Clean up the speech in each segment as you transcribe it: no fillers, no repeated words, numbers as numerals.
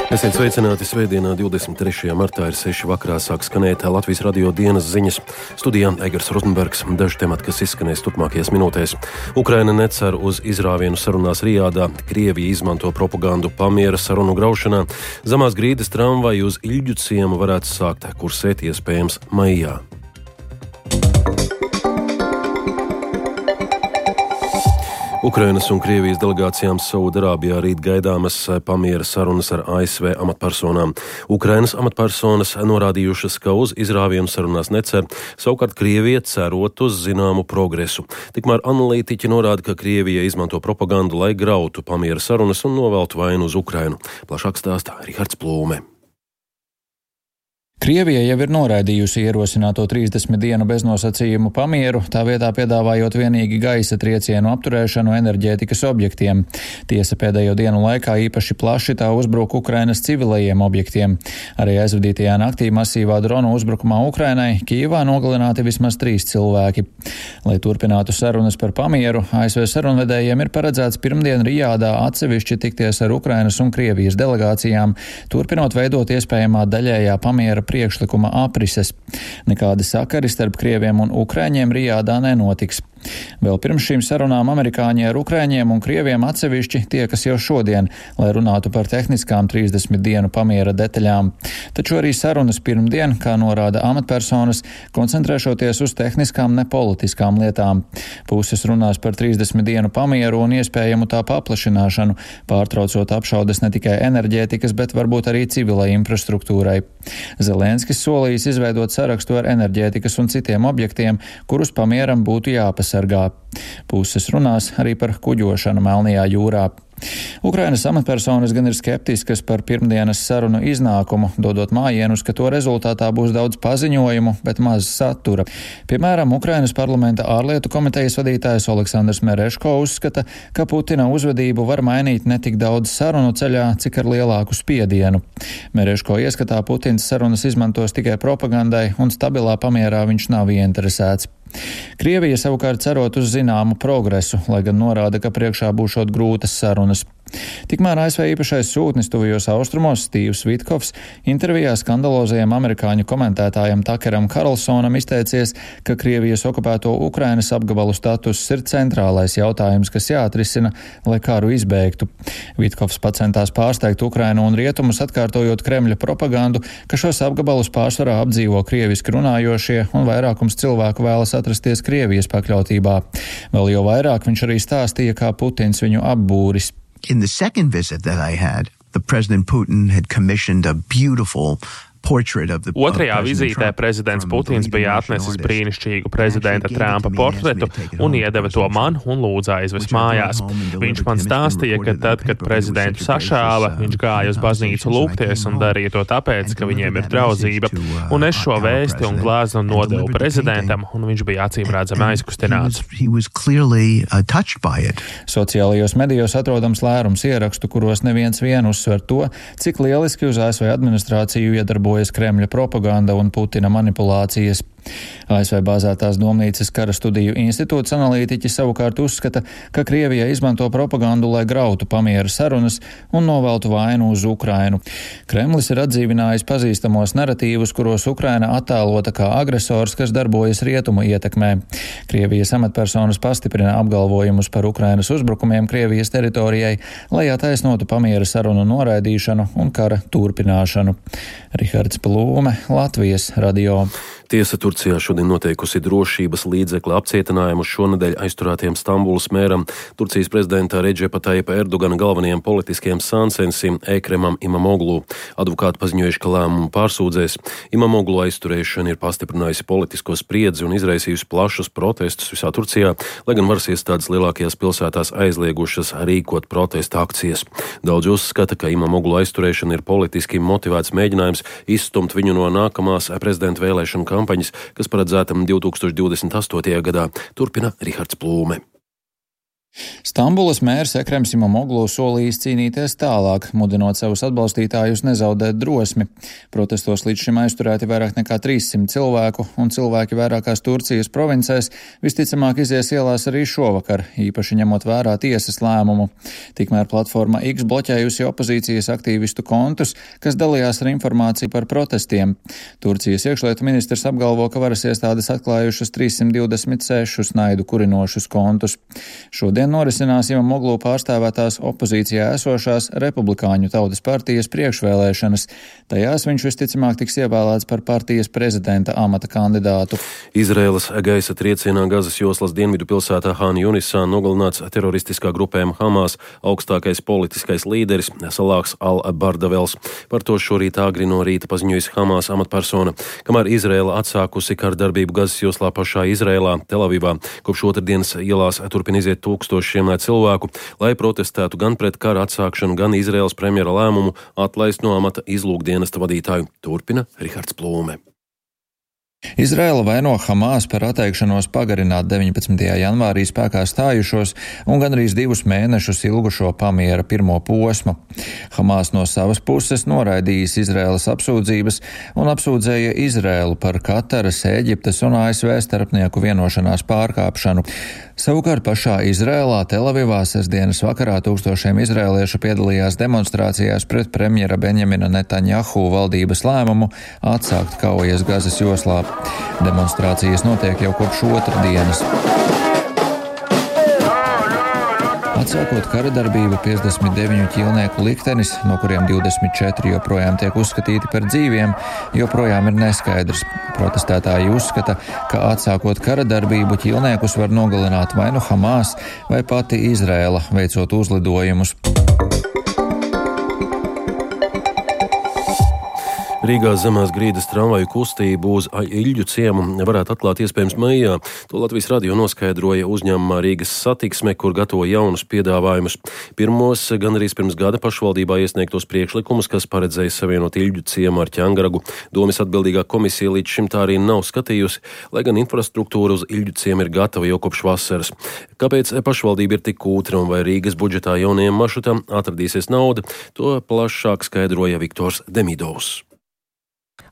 Esiet sveicināti svētdienā, 23. martā ir 6 vakarā sāk skanēt Latvijas radio dienas ziņas. Studijā Egars Rozenbergs, daži temati, kas izskanēs turpmākajās minūtēs. Ukraina necer uz izrāvienu sarunās Rijādā, Krievija izmanto propagandu pamiera sarunu graušanā, Zemās Grīdas tramvaju uz Iļģu ciemu varētu sākt kursēt iespējams maijā. Ukrainas un Krievijas delegācijām Saudarābijā rīt gaidāmas pamiera sarunas ar ASV amatpersonām. Ukrainas amatpersonas norādījušas, ka uz izrāvienu sarunās necer, savukārt Krievija cerot uz zināmu progresu. Tikmēr analītiķi norāda, ka Krievija izmanto propagandu, lai grautu pamiera sarunas un noveltu vainu uz Ukrainu. Plašāk stāsta Rihards Plūme. Krievija jau ir noraidījusi ierosināto 30 dienu beznosacījumu pamieru, tā vietā piedāvājot vienīgi gaisa triecienu apturēšanu enerģētikas objektiem. Tiesa pēdējo dienu laikā īpaši plaši tā uzbruka Ukrainas civilajiem objektiem. Arī aizvadītajā naktī masīvā dronu uzbrukumā Ukrainai Kijevā nogalināti vismaz 3 cilvēki. Lai turpinātu sarunas par pamieru, ASV sarunvedējiem ir paredzēts pirmdien Rijādā atsevišķi tikties ar Ukrainas un Krievijas delegācijām, turpinot veidot iespējamā daļējā pamiera priekšlikuma aprises. Nekādi sakari starp krieviem un ukrāņiem Rijādā nenotiks. Vēl pirms šīm sarunām amerikāņi ar ukrāņiem un krieviem atsevišķi tiekas jau šodien, lai runātu par tehniskām 30 dienu pamiera detaļām. Taču arī sarunas pirmdien, kā norāda amatpersonas, koncentrēšoties uz tehniskām nepolitiskām lietām. Puses runās par 30 dienu pamieru un iespējamu tā paplašināšanu, pārtraucot apšaudes ne tikai enerģētikas, bet varbūt arī civilai infrastruktūrai. Zelenskis solījis izveidot sarakstu ar enerģētikas un citiem objektiem, kurus pamieram būtu jāpasargā. Puses runās arī par kuģošanu Melnajā jūrā. Ukrainas amatpersonas gan ir skeptiskas par pirmdienas sarunu iznākumu, dodot mājienus, ka to rezultātā būs daudz paziņojumu, bet maz satura. Piemēram, Ukrainas parlamenta ārlietu komitejas vadītājs Oleksandrs Mereško uzskata, ka Putina uzvedību var mainīt ne tik daudz sarunu ceļā, cik ar lielāku spiedienu. Mereško ieskatā Putins sarunas izmantos tikai propagandai un stabilā pamierā viņš nav ieinteresēts. Krievija savukārt cerot uz zināmu progresu, lai gan norāda, ka priekšā būšot grūtas sarunas. Tikmēr ASV īpašais sūtnis tuvajos austrumos Stīvs Vitkovs intervijā skandalozajam amerikāņu komentētājam Takeram Karlsonam izteicies, ka Krievijas okupēto Ukrainas apgabalu status ir centrālais jautājums, kas jāatrisina, lai karu izbeigtu. Vitkovs centās pārsteigt Ukrainu un rietumus, atkārtojot Kremļa propagandu, ka šos apgabalus pārsvarā apdzīvo krieviski runājošie un vairākums cilvēku vēlas atrasties Krievijas pakļautībā. Vēl jau vairāk viņš arī stāstīja, kā Putins viņu apbūris. In the second visit that I had, the President Putin had commissioned a beautiful Otrajā vizītē prezidents Putins bija atnesis brīnišķīgu prezidenta Trumpa portretu un iedeva to man un lūdza aizvest mājās. Viņš man stāstīja, ka tad, kad prezidentu sašāva, viņš gāja uz baznīcu lūgties un darīja to tāpēc, ka viņiem ir draudzība. Un es šo vēsti un glāzi nodevu prezidentam, un viņš bija acīmredzami aizkustināts. Sociālajos medijos atrodams lērums ierakstu, kuros neviens vien uzsver to, cik lieliski uz ASV administrāciju iedarbojas Kremļa propaganda un Putina manipulācijas. ASV bāzētās Domnīcas kara studiju institūts analītiķi savukārt uzskata, ka Krievija izmanto propagandu, lai grautu pamiera sarunas un noveltu vainu uz Ukrainu. Kremlis ir atdzīvinājis pazīstamos naratīvus, kuros Ukraina attēlota kā agresors, kas darbojas rietumu ietekmē. Krievijas amatpersonas pastiprina apgalvojumus par Ukrainas uzbrukumiem Krievijas teritorijai, lai attaisnotu pamiera sarunu noraidīšanu un kara turpināšanu. Rihards Plūme, Latvijas radio. Tiesa Turcijā šodien noteikusi drošības līdzekļa apcietinājumu šonedēļ aizturētiem Stambulas mēram, Turcijas prezidenta Redžepa Tayyipa Erdogana galvenajiem politiskiem sāncensim Ekremam Imamoglu. Advokāti paziņojuši, ka lēmumu pārsūdzēs. Imamoglu aizturēšana ir pastiprinājusi politisko spriedzi un izraisījusi plašus protestus visā Turcijā, lai gan varas iestādes lielākajās pilsētās aizliegušas rīkot protesta akcijas. Daudzi uzskata, ka Imamoglu aizturēšana ir politiski motivēts mēģinājums izstumt viņu no nākamās prezidenta vēlēšanu kampaņas, kas paredzēta 2028. gadā, turpina Rihards Plūme. Stambulas mērs Ekrems Imamoglu solījis cīnīties tālāk, mudinot savus atbalstītājus nezaudēt drosmi. Protestos līdz šim aizturēti vairāk nekā 300 cilvēku, un cilvēki vairākās Turcijas provincēs visticamāk izies ielās arī šovakar, īpaši ņemot vērā tiesas lēmumu. Tikmēr platforma X bloķējusi opozīcijas aktīvistu kontus, kas dalījās ar informāciju par protestiem. Turcijas iekšlietu ministrs apgalvo, ka varas iestādes atklājušas 326 naidu kurinošus kontus. Šodien norisinās Imamoglu pārstāvētās opozīcijā esošās Republikāņu tautas partijas priekšvēlēšanas. Tajās viņš visticamāk tiks ievēlēts par partijas prezidenta amata kandidātu. Izraēlas gaisa triecienā Gazas joslas dienvidu pilsētā Han Junisā nogalināts teroristiskā grupējuma Hamas augstākais politiskais līderis Salāks al-Bardavels. Par to šorīt agri no rīta paziņojas Hamas amatpersona, kamēr Izraēla atsākusi kardarbību Gazas joslā pašā Izraēlā, Telavivā. Kopš otrdienas ielās turpina iziet tūkstošiem cilvēku, lai protestētu gan pret kara atsākšanu, gan Izraēlas premjera lēmumu atlaist no amata izlūkdienesta vadītāju. Turpina Rihards Plūme. Izraēla vaino Hamas par atteikšanos pagarināt 19. janvārī spēkā stājušos un gandrīz 2 mēnešus ilgušo pamiera pirmo posmu. Hamas no savas puses noraidījis Izraēlas apsūdzības un apsūdzēja Izraēlu par Kataras, Ēģiptes un ASV starpnieku vienošanās pārkāpšanu. Savukārt pašā Izraēlā, Telavivā, sestdienas vakarā tūkstošiem izraēliešu piedalījās demonstrācijās pret premjera Benjamina Netanjahu valdības lēmumu atsākt kaujas Gazas joslā. Demonstrācijas notiek jau kopš otrdienas. Atsākot kara darbību, 59 ķīlnieku liktenis, no kuriem 24 joprojām tiek uzskatīti par dzīviem, joprojām ir neskaidrs. Protestētāji uzskata, ka atsākot kara darbību ķīlniekus var nogalināt vai nu Hamas, vai pati Izraēla, veicot uzlidojumus. Rīgā zemās grīdas tramvaju kustību uz Iļģu ciemu varētu atklāt iespējams maijā. To Latvijas radio noskaidroja uzņēmumā Rīgas Satiksme, kur gatavo jaunus piedāvājumus. Pirmos gan arī pirms gada pašvaldībā iesniegtos priekšlikumus, kas paredzēja savienot Iļģu ciemu ar Ķangaragu. Domes atbildīgā komisija līdz šim tā arī nav skatījusi, lai gan infrastruktūra uz Iļģu ciemu ir gatava jau kopš vasaras. Kāpēc pašvaldība ir tik kūtra un vai Rīgas budžetā jaunajiem maršrutam atradīsies nauda, to plašāk skaidroja Viktors Demidovs.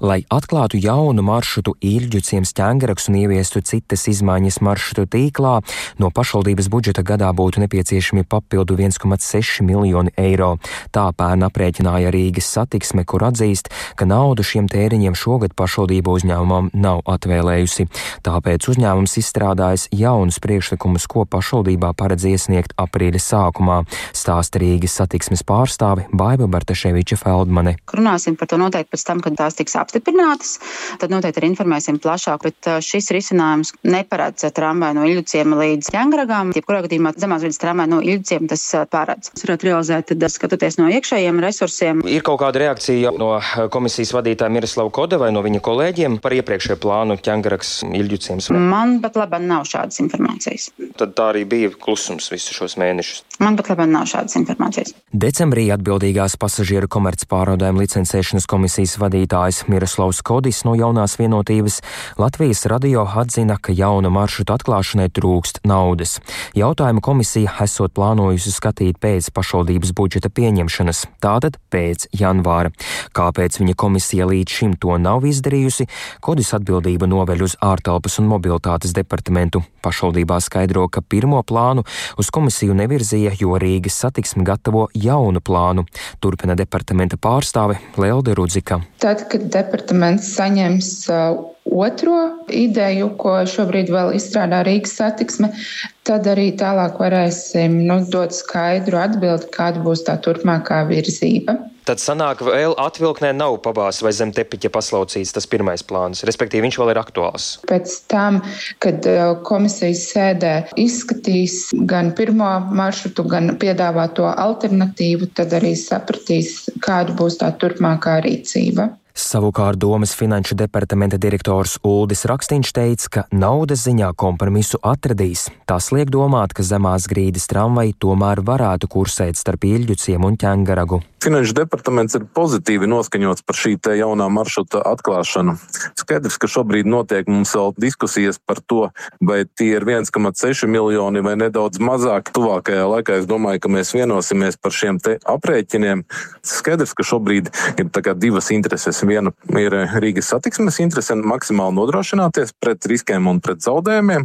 Lai atklātu jaunu maršrutu Iļģu ciems Ķangarags un ieviestu citas izmaiņas maršrutu tīklā, no pašvaldības budžeta gadā būtu nepieciešami papildu 1,6 miljoni eiro. Tā pērn aprēķināja Rīgas Satiksme, kur atzīst, ka naudu šiem tēriņiem šogad pašvaldība uzņēmumam nav atvēlējusi. Tāpēc uzņēmums izstrādājis jaunus priekšlikumus, ko pašvaldībā paredz iesniegt aprīļa sākumā, stāsta Rīgas Satiksmes pārstāve Baiba Bartaševiča Feldmane. Runāsim par to noteikti pēc tam, kad tās tiks apstiprinātas, tad noteikti arī informēsim plašāk, bet šis risinājums neparedz tramvaju no Iļģu ciema līdz Ķangaragām. Jebkurā gadījumā zemās grīdas tramvaju no Iļģu ciema tas paredz. Tas varētu realizēt, tad skatoties no iekšējiem resursiem. Ir kaut kāda reakcija no komisijas vadītāja Miroslava Koda vai no viņa kolēģiem par iepriekšējo plānu Ķangarags Iļģu ciems? Man pat labāk nav šādas informācijas. Tad tā arī bija klusums visus šos mēnešus. Man pat labāk nav šādas informācijas. Decembrī atbildīgās pasažieru komercpārvadājumu licencēšanas komisijas vadītājs Miroslavs Kodis no Jaunās vienotības Latvijas radio atzina, ka jauna maršruta atklāšanai trūkst naudas. Jautājumu komisija esot plānojusi skatīt pēc pašvaldības budžeta pieņemšanas, tātad pēc janvāra. Kāpēc viņa komisija līdz šim to nav izdarījusi, Kodis atbildību noveļ uz ārtelpas un mobilitātes departamentu. Pašvaldībā skaidro, ka pirmo plānu uz komisiju nevirzīja, jo Rīgas Satiksme gatavo jaunu plānu. Turpina departamenta pārstāve Lelde Rudzika. Tad, kad departaments saņems otro ideju, ko šobrīd vēl izstrādā Rīgas Satiksme, tad arī tālāk varēsim dot skaidru atbildi, kāda būs tā turpmākā virzība. Tad sanāk, vēl atvilknē nav pabāzts vai zem tepiķa paslaucīts tas pirmais plāns, respektīvi viņš vēl ir aktuāls. Pēc tam, kad komisijas sēdē izskatīs gan pirmo maršrutu, gan piedāvāto alternatīvu, tad arī sapratīs, kāda būs tā turpmākā rīcība. Savukārt domas finanšu departamenta direktors Uldis Rakstiņš teica, ka naudas ziņā kompromisu atradīs. Tas liek domāt, ka Zemās Grīdas tramvaji tomēr varētu kursēt starp Iļģuciemu un Ķengaragu. Finanšu departaments ir pozitīvi noskaņots par šī te jaunā maršruta atklāšanu. Skaidrs, ka šobrīd notiek mums vēl diskusijas par to, vai tie ir 1,6 miljoni vai nedaudz mazāk. Tuvākajā laikā es domāju, ka mēs vienosimies par šiem te aprēķiniem. Skaidrs, ka šobrīd ir divas intereses. Viena ir Rīgas satiksmes interese maksimāli nodrošināties pret riskiem un pret zaudējumiem,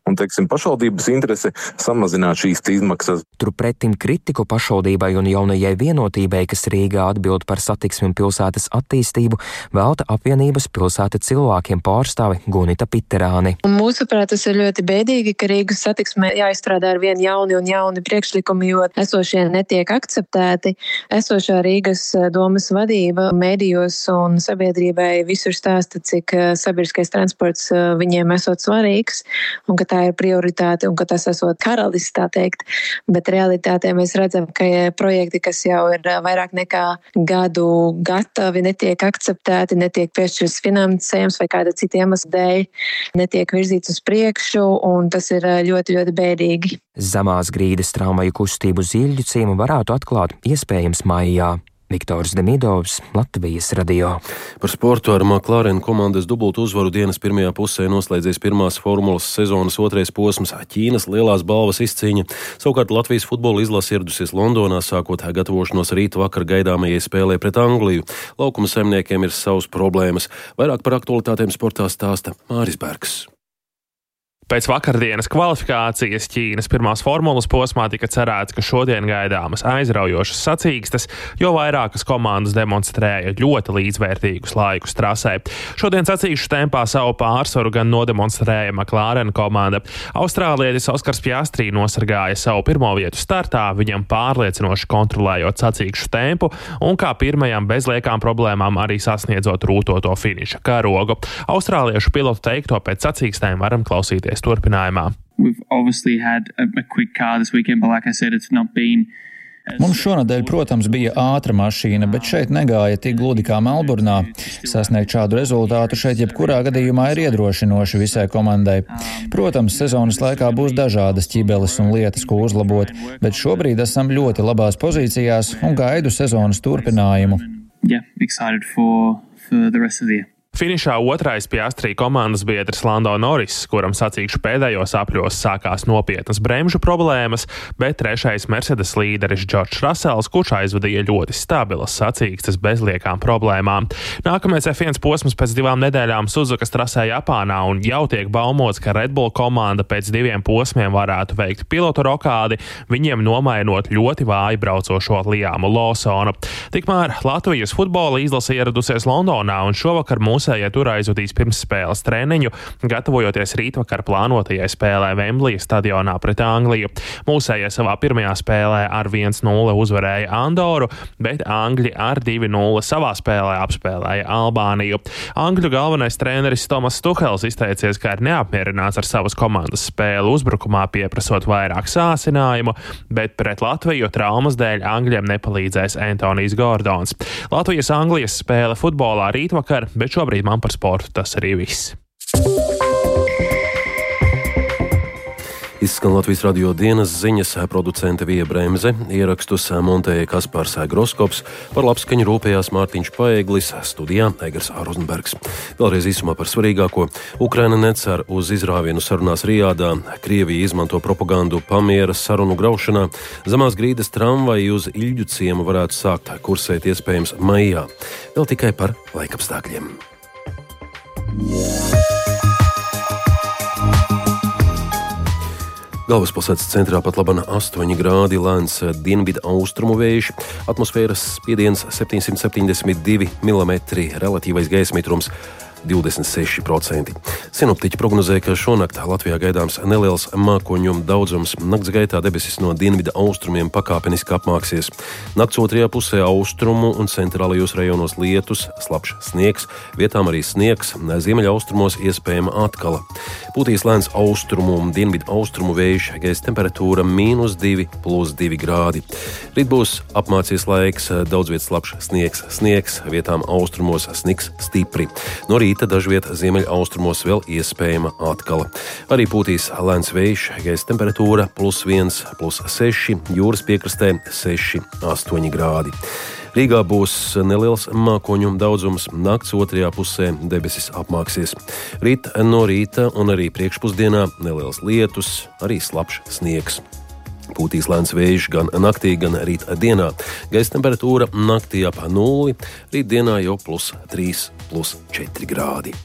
un, pašvaldības interese samazināt šīs izmaksas. Turpretim kritiku pašvaldībai un jaunajai vienotībai, kas Rīgā atbild par satiksmi un pilsētas attīstību, velta apvienības pilsēta cilvēkiem pārstāve Gunita Piterāni. Mūsuprāt, tas ir ļoti bēdīgi, ka Rīgas satiksmē jāizstrādā ar vien jauni priekšlikumi, jo esošie netiek akceptēti. Esošā Rīgas domas vadība mēdījos un sabiedrībai visur stāsta, cik sabiedriskais transports viņiem esot svarīgs un ka tā ir prioritāte un ka tas esot karalis, tā teikt. Bet realitātē mēs redzam, ka projekti, kas jau ir vairāk nekā gadu gatavi, netiek akceptēti, netiek piešķirts finansējums vai kāda cita iemesla dēļ, netiek virzīts uz priekšu, un tas ir ļoti, ļoti bēdīgi. Zemās Grīdas tramvaju kustību uz Iļģuciemu varētu atklāt iespējams maijā. Viktors Demidovs, Latvijas radio. Par sportu ar McLaren komandas dubultu uzvaru dienas pirmajā pusē noslēdzies pirmās formulas sezonas otrais posms Ķīnas lielās balvas izcīņa. Savukārt Latvijas futbola izlase ieradusies Londonā, sākot gatavošanos rīt vakar gaidāmajai spēlē pret Angliju. Laukuma saimniekiem ir savas problēmas. Vairāk par aktualitātēm sportā stāsta Māris Bergs. Pēc vakardienas kvalifikācijas Ķīnas pirmās formulas posmā tika cerēts, ka šodien gaidāmas aizraujošas sacīkstes, jo vairākas komandas demonstrēja ļoti līdzvērtīgus laikus trasē. Šodien sacīkšu tempā savu pārsvaru gan nodemonstrēja McLaren komanda. Austrālietis Oskars Pjastri nosargāja savu pirmo vietu startā, viņam pārliecinoši kontrolējot sacīkšu tempu un kā pirmajam bez liekām problēmām arī sasniedzot rūtoto finiša karogu. Austrāliešu pilotu teikto pēc sacīkstēm varam klausīties turpinājumā. Mums šonadēļ, protams, bija ātra mašīna, bet šeit negāja tik gludi kā Melburnā. Sasniegt šādu rezultātu šeit jebkurā gadījumā ir iedrošinoši visai komandai. Protams, sezonas laikā būs dažādas ķibeles un lietas, ko uzlabot, bet šobrīd esam ļoti labās pozīcijās un gaidu sezonas turpinājumu. Finišā otrais Pjastri komandas biedrs Lando Norris, kuram sacīkšu pēdējos apļos sākās nopietnas bremžu problēmas, bet trešais Mercedes līderis Džordžs Rasels, kurš aizvadīja ļoti stabilas sacīkstes bez liekām problēmām. Nākamais F1 posms pēc 2 nedēļām Suzukas trasē Japānā un jau tiek baumots, ka Red Bull komanda pēc 2 posmiem varētu veikt pilotu rokādi, viņiem nomainot ļoti vāji braucošo Liamu Lawsonu. Tikmēr Latvijas futbola izlase ieradusies Londonā un šovakar mūsējie tur aizvadīs pirms spēles treniņu, gatavojoties rītvakar plānotajai spēlē Vemblija stadionā pret Angliju. Mūsējie savā pirmajā spēlē ar 1-0 uzvarēja Andoru, bet Angļi ar 2-0 savā spēlē apspēlēja Albāniju. Angļu galvenais treneris Tomas Tuhels izteicies, ka ir neapmierināts ar savas komandas spēli uzbrukumā, pieprasot vairāk sāsinājumu, bet pret Latviju traumas dēļ Angļiem nepalīdzēs Antonijs Gordons. Latvijas-Anglijas spēle futbolā rītvakar, bet šobrīd man par sportu tas arī viss. Izskan Latvijas radio dienas ziņas, producente Vija Bremze, ierakstus montēja Kaspars Groskops, par labskaņu rūpējās Mārtiņš Paeglis, studijā Egars Rozenbergs. Vēlreiz īsumā par svarīgāko. Ukraina necer uz izrāvienu sarunās Rijādā, Krievija izmanto propagandu pamiera sarunu graušanā, Zemās Grīdas tramvaji uz Iļģuciemu varētu sākt kursēt iespējams maijā. Vēl tikai par laikapstākļiem. Galvaspilsētas centrā pat labana 8 grādi, lēns dienvidu austrumu vējš, atmosfēras spiediens 772 mm, relatīvais gaisa mitrums 26%. Sinoptiķi prognozē, ka šonakt Latvijā gaidāms neliels mākoņu daudzums. Nakts gaitā debesis no dienvida austrumiem pakāpeniski apmāksies. Nakts otrajā pusē austrumu un centrālajos rajonos lietus, slapjš sniegs, vietām arī sniegs, ziemeļaustrumos iespējama atkala. Pūtīs lēns austrumu un dienvidu austrumu vējš, gaisa temperatūra -2 + 2 grādi. Rīt būs apmācies laiks, daudz vietas slapjš sniegs, vietām austrumos sniks stipri. No rīta dažviet ziemeļaustrumos vēl iespējama atkala. Arī pūtīs lēns vējš, gaisa temperatūra +1 + 6, jūras piekrastē 6–8 grādi. Rīgā būs neliels mākoņu daudzums, nakts otrajā pusē debesis apmāksies. Rīt no rīta un arī priekšpusdienā neliels lietus, arī slapjš sniegs. Pūtīs lēns vējš gan naktī, gan rīt dienā. Gaisa temperatūra naktī ap 0, rīt dienā jau +3 + 4 grādi.